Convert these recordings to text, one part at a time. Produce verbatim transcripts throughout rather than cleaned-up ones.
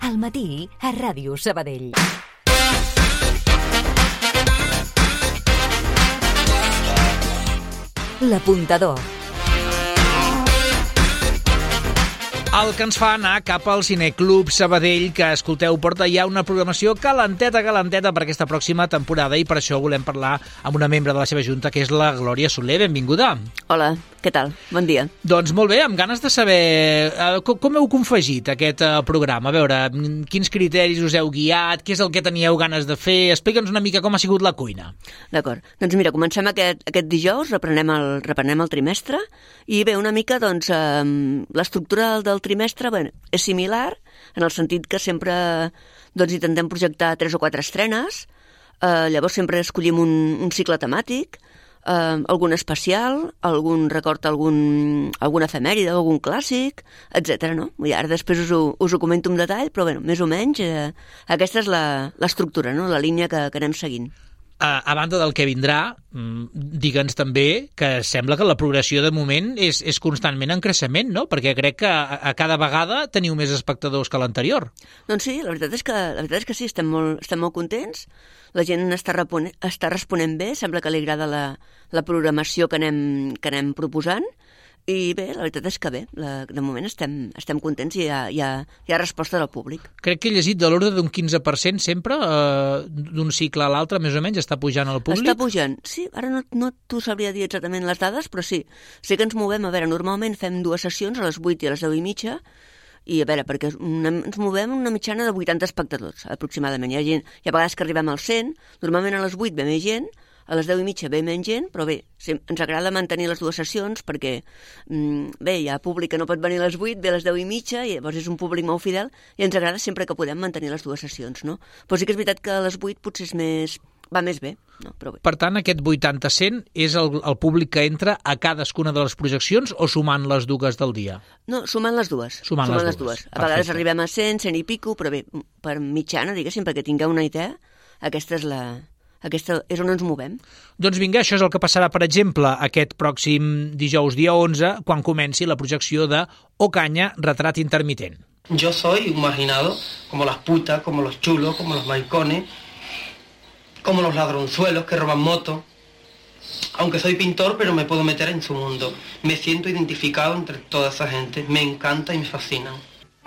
Al matí, a Ràdio Sabadell. L'Apuntador. El que ens fa anar cap al Cineclub Sabadell, que, escolteu, porta ja una programació calenteta, calenteta per aquesta pròxima temporada, i per això volem parlar amb una membre de la seva junta, que és la Glòria Soler. Benvinguda. Hola, què tal? Bon dia. Doncs molt bé, amb ganes de saber eh, com heu confegit aquest eh, programa. A veure, quins criteris us heu guiat, què és el que teníeu ganes de fer? Explica'ns una mica com ha sigut la cuina. D'acord. Doncs mira, comencem aquest, aquest dijous, reprenem el, reprenem el trimestre, i bé, una mica, doncs, eh, l'estructura del trimestre, bé, és similar, en el sentit que sempre doncs, intentem projectar tres o quatre estrenes, eh, llavors sempre escollim un, un cicle temàtic, eh, algun especial, algun record, algun, alguna efemèride, algun clàssic, etcètera. No? I ara després us ho, us ho comento en detall, però bé, més o menys eh, aquesta és l'estructura, no? La línia que, que anem seguint. A, a banda del que vindrà, digue'ns també que sembla que la progressió de moment és, és constantment en creixement, no? Perquè crec que a, a cada vegada teniu més espectadors que l'anterior. Doncs sí, la veritat és que, la veritat és que sí, estem molt, estem molt contents. La gent està, repone, està responent bé, sembla que li agrada la, la programació que anem, que anem proposant. I bé, la veritat és que bé, la, de moment estem, estem contents i hi ha, hi, ha, hi ha resposta del públic. Crec que he llegit de l'ordre d'un quinze per cent sempre, eh, d'un cicle a l'altre, més o menys, està pujant el públic? Està pujant, sí. Ara no, no t'ho sabria dir exactament les dades, però sí. Sí que ens movem, a veure, normalment fem dues sessions, a les vuit i a les deu i mitja, i a veure, perquè una, ens movem una mitjana de vuitanta espectadors, aproximadament. Hi ha, gent, hi ha vegades que arribem als cent, normalment a les vuit ve més gent, a les deu i mitja ve menys gent, però bé, ens agrada mantenir les dues sessions perquè, bé, hi ha públic que no pot venir a les vuit, ve a les deu i mitja, i llavors és un públic molt fidel, i ens agrada sempre que podem mantenir les dues sessions, no? Però sí que és veritat que a les vuit potser és més, va més bé, no? Però bé. Per tant, aquest vuitanta per cent és el, el públic que entra a cadascuna de les projeccions o sumant les dues del dia? No, sumant les dues. Sumant, sumant les, les dues. dues. A vegades Perfecte. Arribem a cent, cent i pico, però bé, per mitjana, diguéssim, perquè tingueu una idea, aquesta és la... Aquesta és on ens movem. Doncs vinga, això és el que passarà, per exemple, aquest pròxim dijous, dia onze, quan comenci la projecció de Ocaña, retrat intermitent. Yo soy un marginado, como las putas, como los chulos, como los maricones, como los ladronzuelos que roban motos. Aunque soy pintor, pero me puedo meter en su mundo. Me siento identificado entre toda esa gente. Me encanta y me fascinan.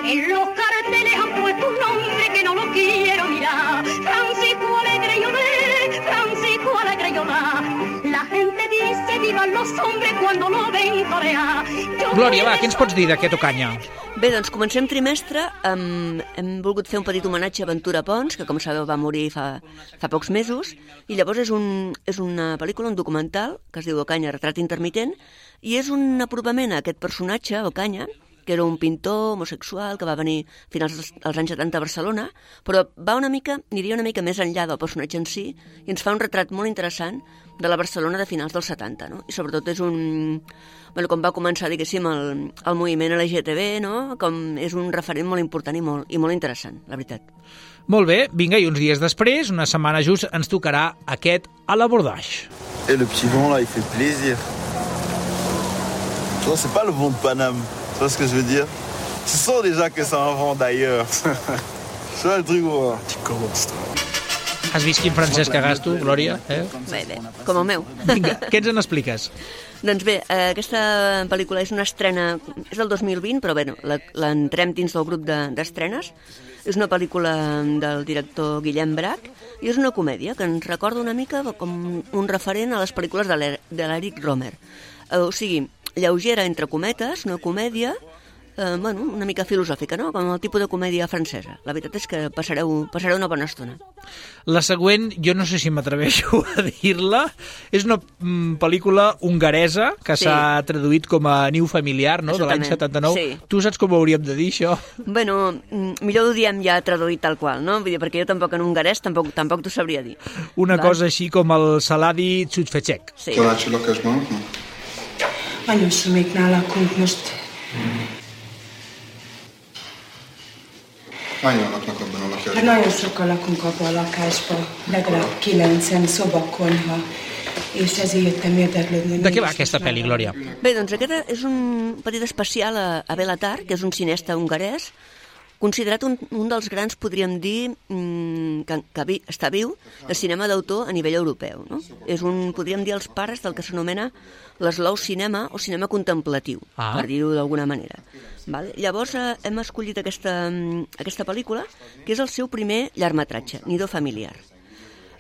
En los carteles han puesto un nombre que no lo quiero mirar. Francisco Alegre y Olé, Francisco Alegre y Olá. La gente dice vivan los hombres cuando lo ven torear. Glòria, va, què ens pots dir d'aquest Ocaña? Bé, doncs comencem trimestre. Hem, hem volgut fer un petit homenatge a Ventura Pons, que com sabeu va morir fa, fa pocs mesos, i llavors és, un, és una pel·lícula, un documental, que es diu Ocaña, retrat intermitent, i és un apropament a aquest personatge, Ocaña, que era un pintor homosexual que va venir a finals dels anys setanta a Barcelona, però va una mica, aniria una mica més enllà del personatge en si, i ens fa un retrat molt interessant de la Barcelona de finals dels setanta, no? I sobretot és un... Bueno, com va començar, diguéssim, el, el moviment L G T B, no? Com és un referent molt important i molt, i molt interessant, la veritat. Molt bé, vinga, i uns dies després, una setmana just, ens tocarà aquest A l'abordage. Et le petit vent, là, il fait plaisir. Non, c'est pas le vent de Paname. Tu vois ce que je veux dire? Tu sens déjà que c'est un vent d'ailleurs. Tu vois le truc, ouais. Tu commences, toi. Has vist quin francès que gasto, Glòria? Eh? Bé, bé, com el meu. Vinga, què ens en expliques? Doncs bé, aquesta pel·lícula és una estrena, és del dos mil vint, però bé, l'entrem dins del grup d'estrenes. És una pel·lícula del director Guillem Brach i és una comèdia que ens recorda una mica com un referent a les pel·lícules de l'Eric Romer. O sigui, lleugera entre cometes, una comèdia, eh, bueno, una mica filosòfica, no? Com el tipus de comèdia francesa. La veritat és que passareu, passareu una bona estona. La següent, jo no sé si m'atreveixo a dir-la, és una mm, pel·lícula hongaresa que s'ha sí. traduït com a Niu familiar, no?, de l'any setanta-nou. Sí. Tu saps com ho hauríem de dir, això? Bueno, millor ho diem ja traduït tal qual, no? Vull dir, perquè jo tampoc en hongarès tampoc, tampoc t'ho sabria dir. Una Va? cosa així com el Saladi Csúcsfecsek. Sí. Anyósomiknál lakunk most. Hányan laknak abban a lakásban? Hát nagyon sokan lakunk abban a lakásban, legalább kilencen, szobakonyha, és ezért jöttem érdeklődni. De què va aquesta pel·li, Glòria? Bé, doncs aquest és un petit especial a, a Béla Tarr, que és un cinesta hongarès, considerat un, un dels grans, podríem dir, mmm, que, que vi, està viu, de cinema d'autor a nivell europeu. No? És un, podríem dir, els pares del que s'anomena l'eslou cinema o cinema contemplatiu, ah. per dir-ho d'alguna manera. Vale? Llavors eh, hem escollit aquesta, aquesta pel·lícula, que és el seu primer llargmetratge, Nido familiar.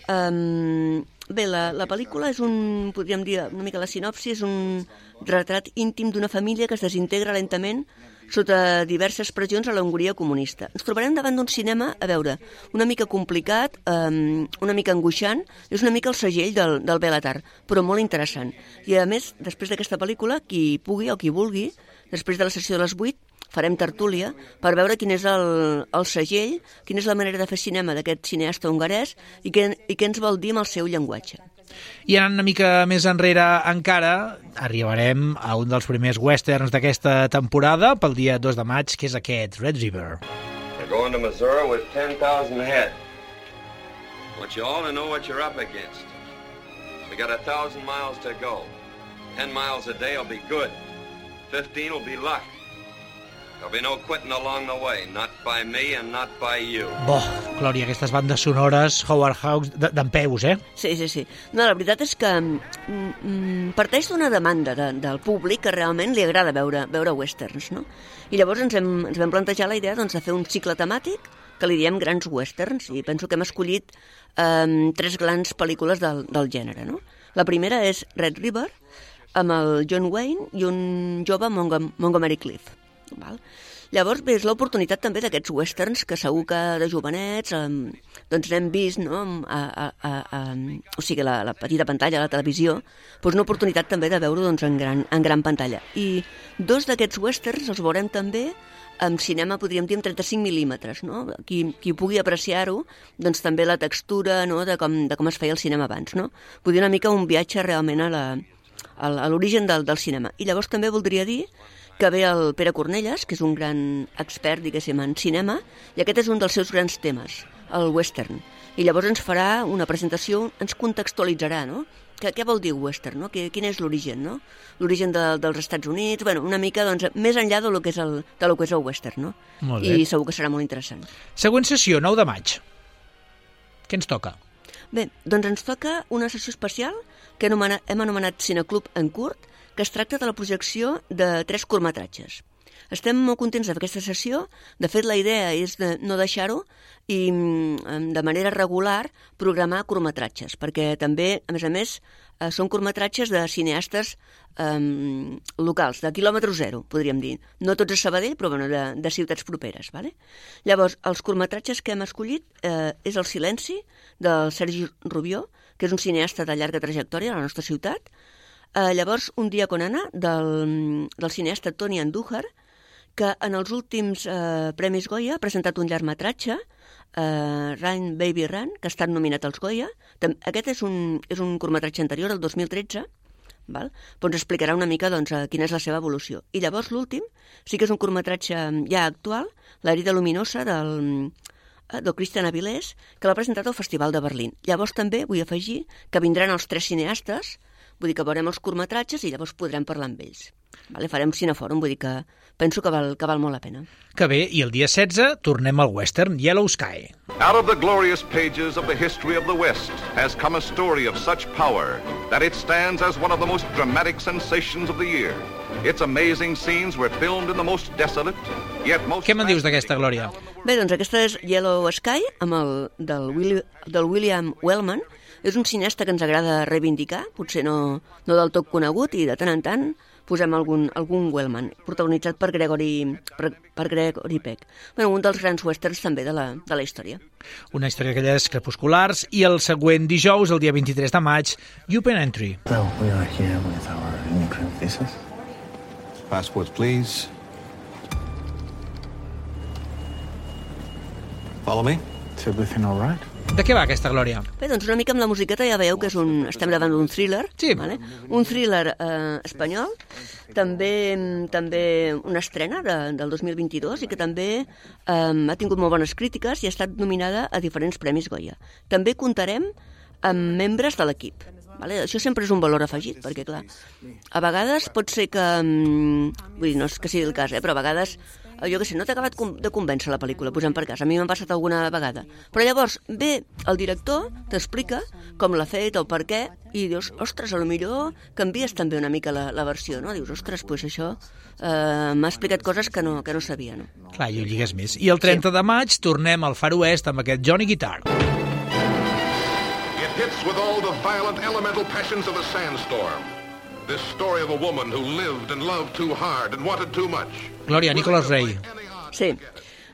Um, bé, la, la pel·lícula és un, podríem dir una mica la sinopsi, és un retrat íntim d'una família que es desintegra lentament sota diverses pressions a la Hongria comunista. Ens trobarem davant d'un cinema, a veure, una mica complicat, um, una mica angoixant, és una mica el segell del, del Bélatar, però molt interessant. I a més, després d'aquesta pel·lícula, qui pugui o qui vulgui, després de la sessió de les vuit, farem tertúlia per veure quin és el, el segell, quina és la manera de fer cinema d'aquest cineasta hongarès i què, i què ens vol dir amb el seu llenguatge. I anant una mica més enrere encara, arribarem a un dels primers westerns d'aquesta temporada pel dia dos de maig, que és aquest, Red River. We're going to Missouri with ten thousand ahead. I want you all to know what you're up against. We got a thousand miles to go. Ten miles a day will be good. Fifteen will be luck. There'll be no quitting along the way, not by me and not by you. Bo, Glòria, aquestes bandes sonores Howard Hawks d'en peus, eh? Sí, sí, sí. No, la veritat és que mm, parteix d'una demanda de, del públic que realment li agrada veure, veure westerns, no? I llavors ens, hem, ens vam plantejar la idea doncs, de fer un cicle temàtic que li diem grans westerns, i penso que hem escollit eh, tres grans pel·lícules del, del gènere, no? La primera és Red River, amb el John Wayne i un jove Mongom- Montgomery Clift. Val? Llavors, bé, és l'oportunitat també d'aquests westerns que segur que de jovenets um, doncs n'hem vist, no? a, a, a, a, o sigui, la, la petita pantalla, la televisió, doncs una oportunitat també de veure doncs, en, gran, en gran pantalla. I dos d'aquests westerns els veurem també en cinema, podríem dir, en trenta-cinc mil·límetres. No? Qui, qui pugui apreciar-ho, doncs també la textura, no? de, com, de com es feia el cinema abans. No? Vull dir una mica un viatge realment a la, a l'origen del, del cinema. I llavors també voldria dir que ve el Pere Cornelles, que és un gran expert, diguéssim, en cinema, i aquest és un dels seus grans temes, el western. I llavors ens farà una presentació, ens contextualitzarà, no? Què, què vol dir western, no? Quin és l'origen, no? L'origen de, dels Estats Units, bueno, una mica, doncs, més enllà de lo que és el, de lo que és el western, no? Molt bé. I segur que serà molt interessant. Següent sessió, nou de maig. Què ens toca? Bé, doncs ens toca una sessió especial que hem anomenat, hem anomenat Cineclub en curt, que es tracta de la projecció de tres curtmetratges. Estem molt contents d'aquesta sessió. De fet, la idea és de no deixar-ho i de manera regular programar curtmetratges, perquè també, a més a més, són curtmetratges de cineastes um, locals, de quilòmetre zero, podríem dir. No tots a Sabadell, però bueno, de, de ciutats properes. Vale? Llavors, els curtmetratges que hem escollit eh, és El silenci, del Sergi Rubió, que és un cineasta de llarga trajectòria a la nostra ciutat. Uh, llavors, Un dia con Ana, del, del cineasta Toni Andújar, que en els últims uh, Premis Goya ha presentat un llargmetratge, uh, Run Baby Run, que ha estat nominat als Goya. Aquest és un, és un curtmetratge anterior, el dos mil tretze, val? Però ens explicarà una mica doncs, quina és la seva evolució. I llavors l'últim sí que és un curtmetratge ja actual, L'herida luminosa, del, del Christian Avilés, que l'ha presentat al Festival de Berlín. Llavors també vull afegir que vindran els tres cineastes. Vull dir que veurem els curtmetratges i llavors podrem parlar amb ells. Vale? Farem cinefòrum, vull dir que penso que val, que val molt la pena. Que bé, i el dia setze tornem al western Yellow Sky. Out of the glorious pages of the history of the West has come a story of such power that it stands as one of the most dramatic sensations of the year. Its amazing scenes were filmed in the most desolate, yet most... Què me'n dius d'aquesta, Glòria? Bé, doncs aquesta és Yellow Sky, amb el, del, Willi, del William Wellman. És un cineasta que ens agrada reivindicar, potser no, no del tot conegut, i de tant en tant posem algun, algun Wellman, protagonitzat per Gregory, per, per Gregory Peck. Bueno, un dels grans westerns també de la, de la història. Una història d'aquelles crepusculars, i el següent dijous, el dia vint-i-tres de maig, Open Entry. Well, we are here with our immigrant visas. Passports, please. Follow me. Is everything all right? De què va aquesta, Glòria? Bé, doncs una mica amb la musiqueta ja veieu que és un, estem davant d'un thriller, sí. Vale? Un thriller eh, espanyol, també, també una estrena de, del dos mil vint-i-dos i que també eh, ha tingut molt bones crítiques i ha estat nominada a diferents Premis Goya. També comptarem amb membres de l'equip. Vale? Això sempre és un valor afegit, perquè clar, a vegades pot ser que, vull dir, no és que sigui el cas, eh, però a vegades jo què sé, no t'ha acabat de convèncer la pel·lícula, posem per cas, a mi m'ha passat alguna vegada. Però llavors ve el director, t'explica com l'ha fet, el per què, i dius, ostres, a lo millor canvies també una mica la, la versió, no? Dius, ostres, doncs això eh, m'ha explicat coses que no, que no sabia, no? Clar, i ho lligues més. I el trenta sí. de maig tornem al Far West amb aquest Johnny Guitar. It hits with all the violent elemental passions of the sandstorm. This story of a woman who lived and loved too hard and wanted too much. Glòria, Nicholas Ray. Sí.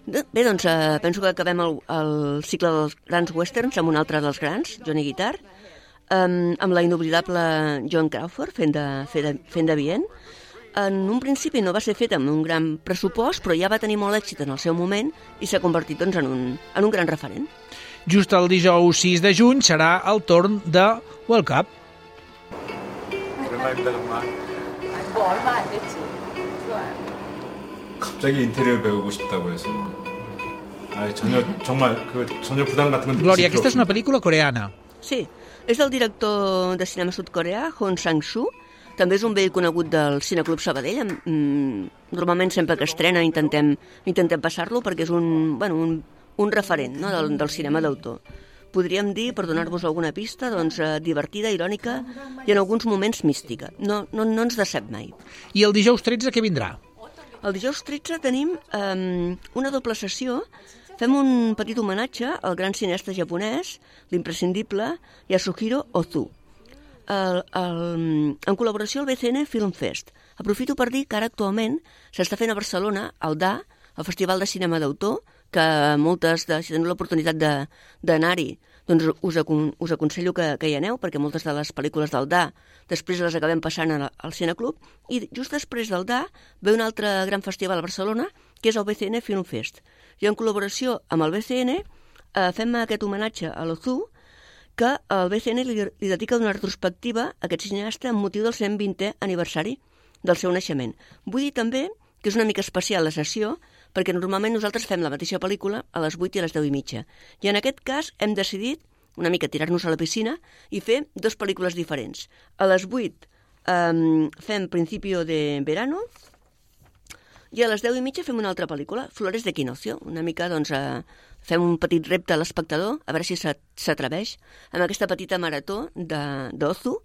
Bé, doncs eh, penso que acabem el, el cicle dels grans westerns amb un altre dels grans, Johnny Guitar, um, amb la inoblidable Joan Crawford fent de, fent de, fent de Bien. En un principi no va ser fet amb un gran pressupost, però ja va tenir molt èxit en el seu moment i s'ha convertit doncs, en, un, en un gran referent. Just el dijous sis de juny serà el torn de World Cup. 갑자기 인테리어 배우고 싶다고 해서 아, 전혀 정말 그 전혀 부담 같은 건 Glòria, aquesta és una pel·lícula coreana. Sí, és del director de cinema sud-coreà, Hong Sang-soo. També és un vell conegut del Cineclub Sabadell. Normalment sempre que estrena intentem, intentem passar-lo perquè és un, bueno, un, un referent, no, del, del cinema d'autor. Podríem dir, per donar-vos alguna pista, doncs, eh, divertida, irònica i en alguns moments mística. No, no, no ens decep mai. I el dijous tretze què vindrà? El dijous tretze tenim eh, una doble sessió. Fem un petit homenatge al gran cineasta japonès, l'imprescindible Yasuhiro Ozu, el, el, en col·laboració al B C N Film Fest. Aprofito per dir que ara actualment s'està fent a Barcelona el D A, el Festival de Cinema d'Autor, que moltes, de, si teniu l'oportunitat d'anar-hi, doncs us, acon, us aconsello que, que hi aneu, perquè moltes de les pel·lícules del D A després les acabem passant al, al Cineclub, i just després del D A ve un altre gran festival a Barcelona, que és el B C N Film Fest. I en col·laboració amb el B C N eh, fem aquest homenatge a l'Ozu, que el B C N li, li dedica una retrospectiva a aquest cineasta amb motiu del cent vintè aniversari del seu naixement. Vull dir també que és una mica especial la sessió, perquè normalment nosaltres fem la mateixa pel·lícula a les vuit i a les deu i mitja. I en aquest cas hem decidit una mica tirar-nos a la piscina i fer dues pel·lícules diferents. A les vuit um, fem Principio de Verano i a les deu i mitja fem una altra pel·lícula, Flores de Quinocio. Una mica, doncs, uh, fem un petit repte a l'espectador, a veure si s'atreveix amb aquesta petita marató d'Ozu.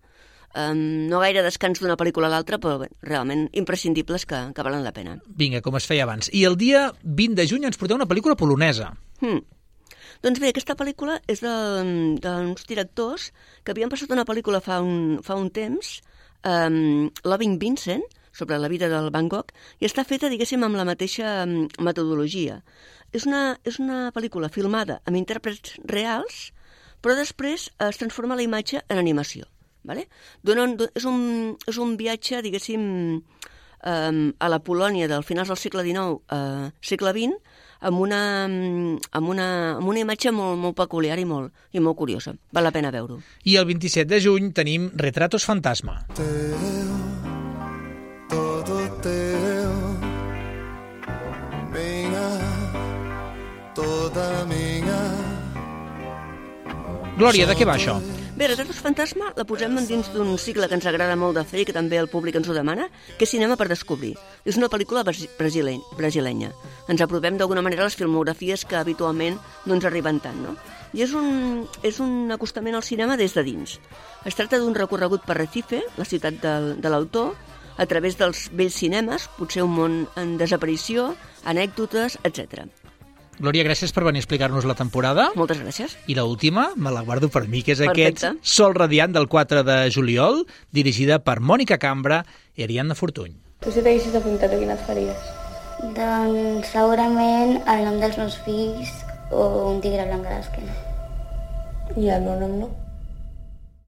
Um, no gaire descans d'una pel·lícula a l'altra, però bé, realment imprescindibles que, que valen la pena. Vinga, com es feia abans. I el dia vint de juny ens porteu una pel·lícula polonesa. Hmm. Doncs bé, aquesta pel·lícula és d'uns de, de directors que havien passat una pel·lícula fa un, fa un temps, um, Loving Vincent, sobre la vida del Van Gogh, i està feta, diguéssim, amb la mateixa um, metodologia. És una, és una pel·lícula filmada amb intèrprets reals, però després es transforma la imatge en animació. Vale? Donen, és, un, és un viatge, diguéssim, um, a la Polònia del finals del segle dinou, uh, segle vint, amb una, amb una, amb una imatge molt, molt peculiar i molt, i molt curiosa. Val la pena veure-ho. I el vint-i-set de juny tenim Retratos Fantasma. Teo, todo teo, minha, toda minha. Glòria, de què va això? Bé, Retratos Fantasma la posem dins d'un cicle que ens agrada molt de fer i que també el públic ens ho demana, que és Cinema per descobrir. És una pel·lícula brasileny, brasilenya. Ens apropem d'alguna manera a les filmografies que habitualment no ens arriben tant, no? I és un, és un acostament al cinema des de dins. Es tracta d'un recorregut per Recife, la ciutat del, de l'autor, a través dels vells cinemes, potser un món en desaparició, anècdotes, etcètera. Glòria, gràcies per venir a explicar-nos la temporada. Moltes gràcies. I l'última, me la guardo per mi, que és Perfecte. Aquest Sol radiant del quatre de juliol, dirigida per Mònica Cambra i Ariadna Fortuny. Tu si t'haguessis apuntat, a quina et faries? Doncs segurament el nom dels meus fills o un tigre blanc de l'esquena. I el meu nom no?